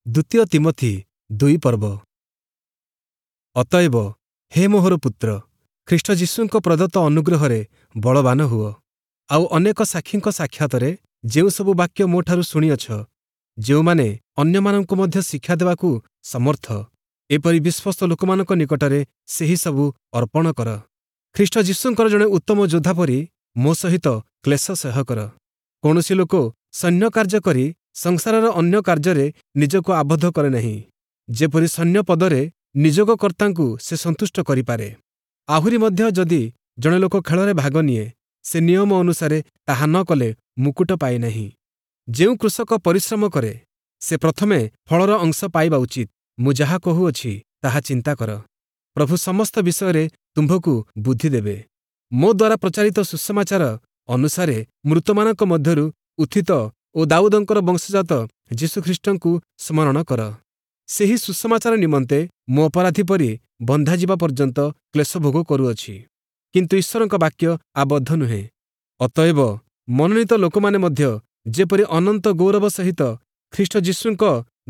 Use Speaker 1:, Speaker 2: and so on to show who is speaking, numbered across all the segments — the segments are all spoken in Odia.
Speaker 1: ଦ୍ୱିତୀୟ ତୀମଥି 2 ପର୍ବ। ଅତଏବ ହେ ମୋହର ପୁତ୍ର, ଖ୍ରୀଷ୍ଟ ଯୀଶୁଙ୍କ ପ୍ରଦତ୍ତ ଅନୁଗ୍ରହରେ ବଳବାନ ହୁଅ। ଆଉ ଅନେକ ସାକ୍ଷୀଙ୍କ ସାକ୍ଷାତରେ ଯେଉଁସବୁ ବାକ୍ୟ ମୋଠାରୁ ଶୁଣିଅଛ, ଯେଉଁମାନେ ଅନ୍ୟମାନଙ୍କୁ ମଧ୍ୟ ଶିକ୍ଷା ଦେବାକୁ ସମର୍ଥ, ଏପରି ବିଶ୍ୱସ୍ତ ଲୋକମାନଙ୍କ ନିକଟରେ ସେହିସବୁ ଅର୍ପଣ କର। ଖ୍ରୀଷ୍ଟ ଯୀଶୁଙ୍କର ଜଣେ ଉତ୍ତମ ଯୋଦ୍ଧା ପରି ମୋ ସହିତ କ୍ଲେଶ ସହ୍ୟ କର। କୌଣସି ଲୋକ ସୈନ୍ୟ କାର୍ଯ୍ୟ କରି ସଂସାରର ଅନ୍ୟ କାର୍ଯ୍ୟରେ ନିଜକୁ ଆବଦ୍ଧ କରେ ନାହିଁ, ଯେପରି ସୈନ୍ୟ ପଦରେ ନିଯୋଗକର୍ତ୍ତାଙ୍କୁ ସେ ସନ୍ତୁଷ୍ଟ କରିପାରେ। ଆହୁରି ମଧ୍ୟ ଯଦି ଜଣେ ଲୋକ ଖେଳରେ ଭାଗ ନିଏ, ସେ ନିୟମ ଅନୁସାରେ ତାହା ନ କଲେ ମୁକୁଟ ପାଏ ନାହିଁ। ଯେଉଁ କୃଷକ ପରିଶ୍ରମ କରେ, ସେ ପ୍ରଥମେ ଫଳର ଅଂଶ ପାଇବା ଉଚିତ। ମୁଁ ଯାହା କହୁଅଛି ତାହା ଚିନ୍ତା କର। ପ୍ରଭୁ ସମସ୍ତ ବିଷୟରେ ତୁମ୍ଭକୁ ବୁଦ୍ଧି ଦେବେ। ମୋ ଦ୍ୱାରା ପ୍ରଚାରିତ ସୁସମାଚାର ଅନୁସାରେ ମୃତମାନଙ୍କ ମଧ୍ୟରୁ ଉତ୍ଥିତ ଓ ଦାଉଦଙ୍କର ବଂଶଜାତ ଯୀଶୁଖ୍ରୀଷ୍ଟଙ୍କୁ ସ୍ମରଣ କର। ସେହି ସୁସମାଚାର ନିମନ୍ତେ ମୁଁ ଅପରାଧୀ ପରି ବନ୍ଧାଯିବା ପର୍ଯ୍ୟନ୍ତ କ୍ଲେଶ ଭୋଗ କରୁଅଛି। କିନ୍ତୁ ଈଶ୍ୱରଙ୍କ ବାକ୍ୟ ଆବଦ୍ଧ ନୁହେଁ। ଅତଏବ ମନୋନୀତ ଲୋକମାନେ ମଧ୍ୟ ଯେପରି ଅନନ୍ତ ଗୌରବ ସହିତ ଖ୍ରୀଷ୍ଟ ଯୀଶୁଙ୍କ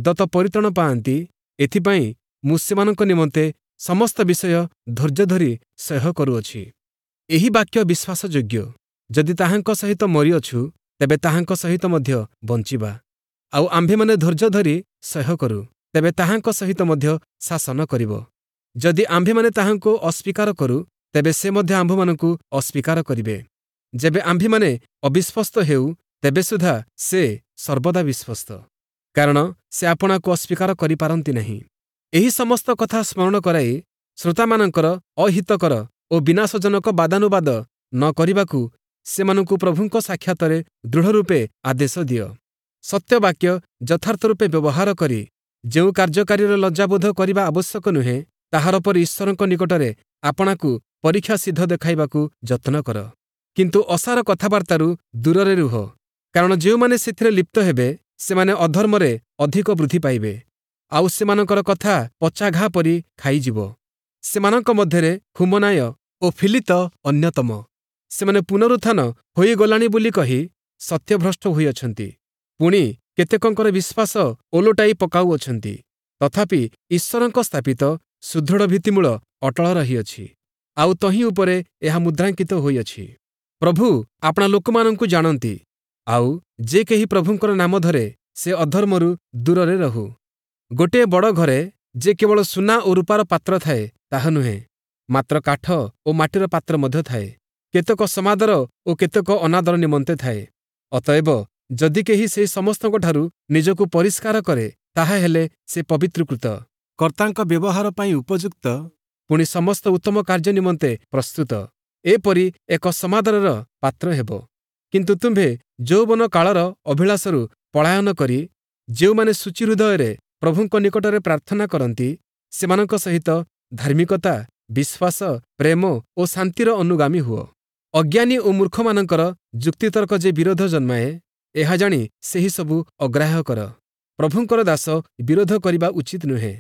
Speaker 1: ଦତ୍ତ ପରିତ୍ରାଣ ପାଆନ୍ତି, ଏଥିପାଇଁ ମୁଁ ସେମାନଙ୍କ ନିମନ୍ତେ ସମସ୍ତ ବିଷୟ ଧୈର୍ଯ୍ୟ ଧରି ସହ୍ୟ କରୁଅଛି। ଏହି ବାକ୍ୟ ବିଶ୍ୱାସଯୋଗ୍ୟ, ଯଦି ତାହାଙ୍କ ସହିତ ମରିଅଛୁ, ତେବେ ତାହାଙ୍କ ସହିତ ମଧ୍ୟ ବଞ୍ଚିବା। ଆଉ ଆମ୍ଭେମାନେ ଧୈର୍ଯ୍ୟ ଧରି ସହ୍ୟ କରୁ, ତେବେ ତାହାଙ୍କ ସହିତ ମଧ୍ୟ ଶାସନ କରିବ। ଯଦି ଆମ୍ଭେମାନେ ତାହାଙ୍କୁ ଅସ୍ୱୀକାର କରୁ, ତେବେ ସେ ମଧ୍ୟ ଆମ୍ଭମାନଙ୍କୁ ଅସ୍ୱୀକାର କରିବେ। ଯେବେ ଆମ୍ଭେମାନେ ଅବିଶ୍ୱସ୍ତ ହେଉ, ତେବେ ସୁଦ୍ଧା ସେ ସର୍ବଦା ବିଶ୍ୱସ୍ତ, କାରଣ ସେ ଆପଣାକୁ ଅସ୍ୱୀକାର କରିପାରନ୍ତି ନାହିଁ। ଏହି ସମସ୍ତ କଥା ସ୍ମରଣ କରାଇ ଶ୍ରୋତାମାନଙ୍କର ଅହିତକର ଓ ବିନାଶଜନକ ବାଦାନୁବାଦ ନ କରିବାକୁ ସେମାନଙ୍କୁ ପ୍ରଭୁଙ୍କ ସାକ୍ଷାତରେ ଦୃଢ଼ ରୂପେ ଆଦେଶ ଦିଅ। ସତ୍ୟବାକ୍ୟ ଯଥାର୍ଥ ରୂପେ ବ୍ୟବହାର କରି ଯେଉଁ କାର୍ଯ୍ୟକାରୀର ଲଜ୍ଜାବୋଧ କରିବା ଆବଶ୍ୟକ ନୁହେଁ, ତାହାର ପରି ଈଶ୍ୱରଙ୍କ ନିକଟରେ ଆପଣାକୁ ପରୀକ୍ଷା ସିଦ୍ଧ ଦେଖାଇବାକୁ ଯତ୍ନ କର। କିନ୍ତୁ ଅସାର କଥାବାର୍ତ୍ତାରୁ ଦୂରରେ ରୁହ, କାରଣ ଯେଉଁମାନେ ସେଥିରେ ଲିପ୍ତ ହେବେ, ସେମାନେ ଅଧର୍ମରେ ଅଧିକ ବୃଦ୍ଧି ପାଇବେ, ଆଉ ସେମାନଙ୍କର କଥା ପଚା ଘା ପରି ଖାଇଯିବ। ସେମାନଙ୍କ ମଧ୍ୟରେ ହୁମନାୟ ଓ ଫିଲିତ ଅନ୍ୟତମ। ସେମାନେ ପୁନରୁତ୍ଥାନ ହୋଇଗଲାଣି ବୋଲି କହି ସତ୍ୟଭ୍ରଷ୍ଟ ହୋଇଅଛନ୍ତି, ପୁଣି କେତେକଙ୍କର ବିଶ୍ୱାସ ଓଲଟାଇ ପକାଉଅଛନ୍ତି। ତଥାପି ଈଶ୍ୱରଙ୍କ ସ୍ଥାପିତ ସୁଦୃଢ଼ ଭିତ୍ତିମୂଳ ଅଟଳ ରହିଅଛି, ଆଉ ତହିଁ ଉପରେ ଏହା ମୁଦ୍ରାଙ୍କିତ ହୋଇଅଛି, ପ୍ରଭୁ ଆପଣା ଲୋକମାନଙ୍କୁ ଜାଣନ୍ତି। ଆଉ ଯେ କେହି ପ୍ରଭୁଙ୍କର ନାମ ଧରେ, ସେ ଅଧର୍ମରୁ ଦୂରରେ ରହୁ। ଗୋଟିଏ ବଡ଼ ଘରେ ଯେ କେବଳ ସୁନା ଓ ରୂପାର ପାତ୍ର ଥାଏ ତାହା ନୁହେଁ, ମାତ୍ର କାଠ ଓ ମାଟିର ପାତ୍ର ମଧ୍ୟ ଥାଏ, କେତେକ ସମାଦର ଓ କେତେକ ଅନାଦର ନିମନ୍ତେ ଥାଏ। ଅତଏବ ଯଦି କେହି ସେହି ସମସ୍ତଙ୍କଠାରୁ ନିଜକୁ ପରିଷ୍କାର କରେ, ତାହାହେଲେ ସେ ପବିତ୍ରୀକୃତ, କର୍ତ୍ତାଙ୍କ ବ୍ୟବହାର ପାଇଁ ଉପଯୁକ୍ତ, ପୁଣି ସମସ୍ତ ଉତ୍ତମ କାର୍ଯ୍ୟ ନିମନ୍ତେ ପ୍ରସ୍ତୁତ, ଏପରି ଏକ ସମାଦରର ପାତ୍ର ହେବ। କିନ୍ତୁ ତୁମ୍ଭେ ଯୌବନ କାଳର ଅଭିଳାଷରୁ ପଳାୟନ କରି ଯେଉଁମାନେ ଶୁଚି ହୃଦୟରେ ପ୍ରଭୁଙ୍କ ନିକଟରେ ପ୍ରାର୍ଥନା କରନ୍ତି, ସେମାନଙ୍କ ସହିତ ଧାର୍ମିକତା, ବିଶ୍ୱାସ, ପ୍ରେମ ଓ ଶାନ୍ତିର ଅନୁଗାମୀ ହୁଅ। ଅଜ୍ଞାନୀ ଓ ମୂର୍ଖମାନଙ୍କର ଯୁକ୍ତିତର୍କ ଯେ ବିରୋଧ ଜନ୍ମାଏ, ଏହା ଜାଣି ସେହିସବୁ ଅଗ୍ରାହ୍ୟ କର। ପ୍ରଭୁଙ୍କର ଦାସ ବିରୋଧ କରିବା ଉଚିତ ନୁହେଁ,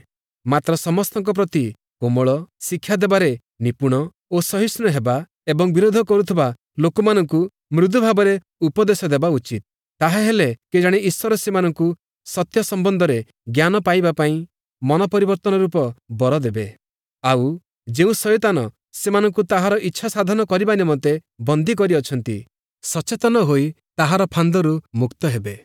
Speaker 1: ମାତ୍ର ସମସ୍ତଙ୍କ ପ୍ରତି କୋମଳ, ଶିକ୍ଷା ଦେବାରେ ନିପୁଣ ଓ ସହିଷ୍ଣୁ ହେବା ଏବଂ ବିରୋଧ କରୁଥିବା ଲୋକମାନଙ୍କୁ ମୃଦୁ ଭାବରେ ଉପଦେଶ ଦେବା ଉଚିତ। ତାହାହେଲେ କେଜାଣି ଈଶ୍ୱର ସେମାନଙ୍କୁ ସତ୍ୟ ସମ୍ବନ୍ଧରେ ଜ୍ଞାନ ପାଇବା ପାଇଁ ମନ ପରିବର୍ତ୍ତନ ରୂପ ବର ଦେବେ, ଆଉ ଯେଉଁ ଶୟତାନ ସେମାନଙ୍କୁ ତାହାର ଇଚ୍ଛା ସାଧନ କରିବା ନିମନ୍ତେ ବନ୍ଦୀ କରିଅଛନ୍ତି, ସଚେତନ ହୋଇ ତାହାର ଫାନ୍ଦରୁ ମୁକ୍ତ ହେବେ।